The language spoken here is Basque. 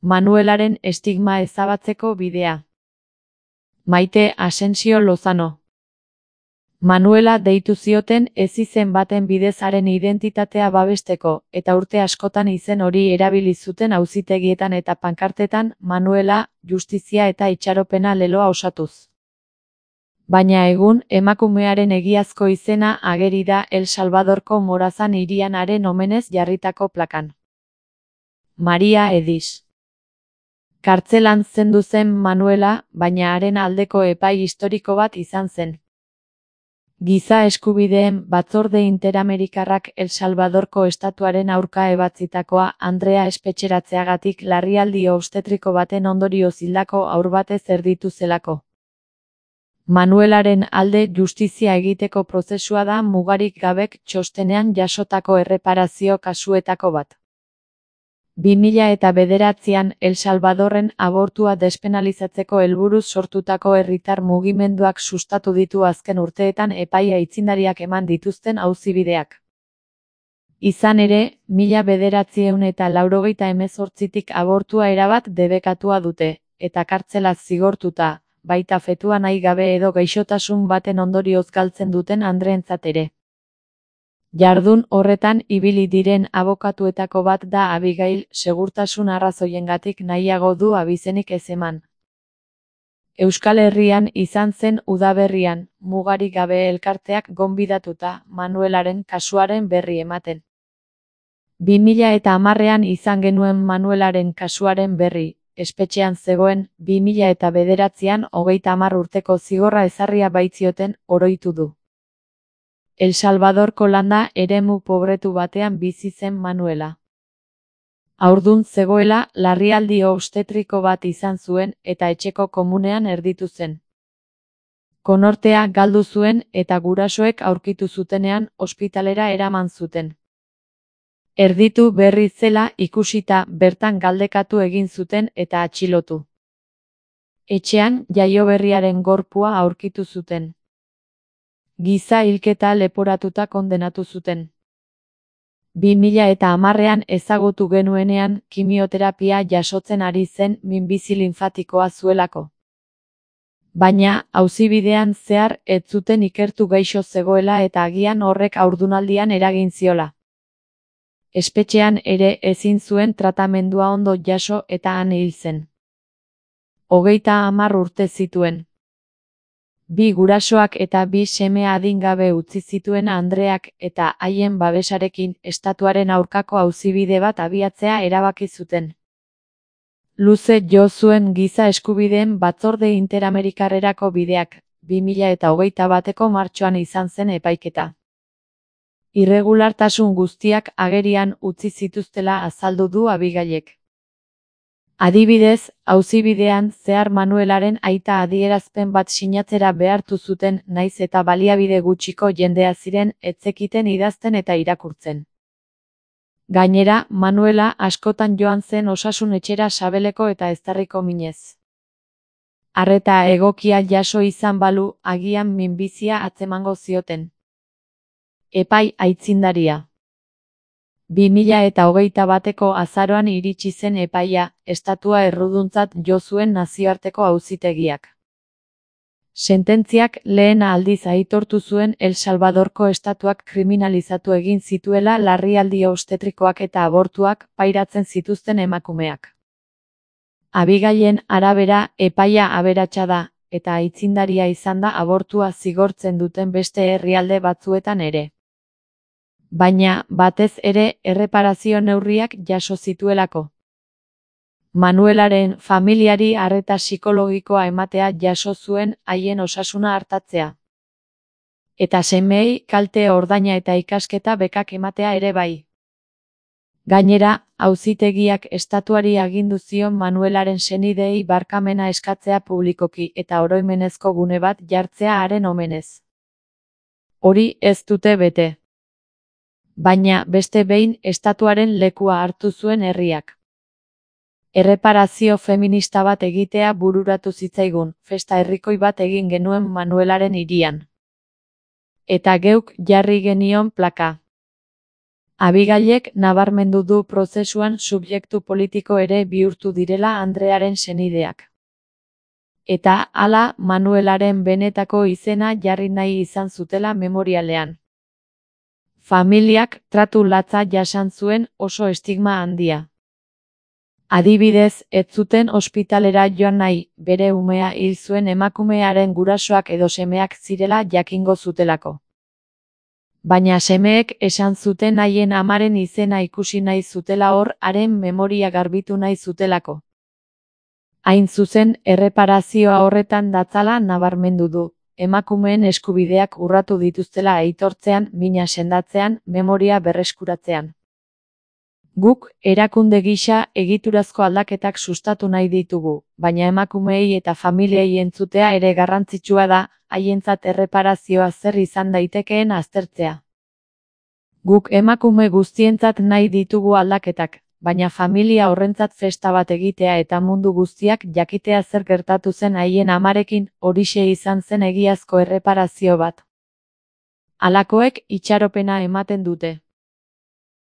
Manuelaren estigma ezabatzeko bidea. Maite Asensio Lozano. Manuela deitu zioten ezizen baten bidez haren identitatea babesteko, eta urte askotan izen hori erabili zuten auzitegietan eta pankartetan, Manuela, justizia eta itxaropena leloa osatuz. Baina egun, emakumearen egiazko izena ageri da El Salvadorko Morazan hirian haren omenez jarritako plakan. Maria Edis. Kartzelan zendu zen Manuela, baina haren aldeko epai historiko bat izan zen. Giza eskubideen batzorde interamerikarrak El Salvadorko estatuaren aurka ebatzitakoa Andrea espetxeratzeagatik larrialdi obstetriko baten ondorioz hildako haur batez erditu zelako. Manuelaren alde justizia egiteko prozesua da mugarik gabek txostenean jasotako erreparazio kasuetako bat. 2009an El Salvadorren abortua despenalizatzeko helburuz sortutako herritar mugimenduak sustatu ditu azken urteetan epai aitzindariak eman dituzten auzibideak. Izan ere, 1998tik abortua erabat debekatua dute, eta kartzelaz zigortuta, baita fetua nahi gabe edo gaixotasun baten ondorioz galtzen duten andreentzat ere. Jardun horretan ibili diren abokatuetako bat da Abigail, segurtasun arrazoiengatik nahiago du abizenik ez eman. Euskal Herrian izan zen udaberrian, mugarik gabe elkarteak gonbidatuta Manuelaren kasuaren berri ematen. 2010an izan genuen Manuelaren kasuaren berri, espetxean zegoen, 2009an 30 urteko zigorra ezarria baitzioten, oroitu du. El Salvadorko landa eremu pobretu batean bizi zen Manuela. Haurdun zegoela, larrialdi obstetriko bat izan zuen eta etxeko komunean erditu zen. Konortea galdu zuen eta gurasoek aurkitu zutenean ospitalera eraman zuten. Erditu berri zela ikusita bertan galdekatu egin zuten eta atxilotu. Etxean jaioberriaren gorpua aurkitu zuten. Giza hilketa leporatuta kondenatu zuten. 2010an ezagutu genuenean kimioterapia jasotzen ari zen minbizi linfatikoa zuelako. Baina, auzibidean zehar ez zuten ikertu gaixo zegoela eta agian horrek haurdunaldian eragin ziola. Espetxean ere ezin zuen tratamendua ondo jaso eta han hil zen. 30 urte zituen. 2 gurasoak eta 2 seme adingabe utzi zituen Andreak eta haien babesarekin estatuaren aurkako auzibide bat abiatzea erabaki zuten. Luze jo zuen giza eskubideen batzorde interamerikarrerako bideak, 2021ko martxoan izan zen epaiketa. Irregulartasun guztiak agerian utzi zituztela azaldu du Abigailek. Adibidez, auzibidean zehar Manuelaren aita adierazpen bat sinatzera behartu zuten naiz eta baliabide gutxiko jendea ziren ez zekiten idazten eta irakurtzen. Gainera, Manuela askotan joan zen osasun etxera sabeleko eta eztarriko minez. Arreta egokia jaso izan balu, agian minbizia atzemango zioten. Epai aitzindaria. 2021ko azaroan iritsi zen epaia, estatua erruduntzat jo zuen nazioarteko auzitegiak. Sententziak lehen aldiz aitortu zuen El Salvadorko estatuak kriminalizatu egin zituela larrialdi obstetrikoak eta abortuak pairatzen zituzten emakumeak. Abigailen arabera, epaia aberatsa da, eta aitzindaria izan da abortua zigortzen duten beste herrialde batzuetan ere. Baina, batez ere, erreparazio neurriak jaso zituelako. Manuelaren familiari arreta psikologikoa ematea jaso zuen haien osasuna artatzea. Eta semeei kalte ordaina eta ikasketa bekak ematea ere bai. Gainera, auzitegiak estatuari agindu zion Manuelaren senideei barkamena eskatzea publikoki eta oroimenezko gune bat jartzea haren omenez. Hori ez dute bete. Baina beste behin estatuaren lekua hartu zuen herriak. Erreparazio feminista bat egitea bururatu zitzaigun, festa herrikoi bat egin genuen Manuelaren hirian. Eta geuk jarri genion plaka. Abigailek nabarmendu du prozesuan subjektu politiko ere bihurtu direla Andrearen senideak. Eta hala Manuelaren benetako izena jarri nahi izan zutela memorialean. Familiak tratu latza jasan zuen, oso estigma handia. Adibidez, ez zuten ospitalera joan nahi, bere umea hil zuen emakumearen gurasoak edo semeak zirela jakingo zutelako. Baina semeek esan zuten haien amaren izena ikusi nahi zutela hor, haren memoria garbitu nahi zutelako. Hain zuzen, erreparazioa horretan datzala nabarmendu du, emakumeen eskubideak urratu dituztela aitortzean, mina sendatzean, memoria berreskuratzean. Guk, erakunde gisa, egiturazko aldaketak sustatu nahi ditugu, baina emakumeei eta familiei entzutea ere garrantzitsua da, haientzat erreparazioa zer izan daitekeen aztertzea. Guk emakume guztientzat nahi ditugu aldaketak, baina familia horrentzat festa bat egitea eta mundu guztiak jakitea zer gertatu zen haien amarekin, horixe izan zen egiazko erreparazio bat. Halakoek itxaropena ematen dute.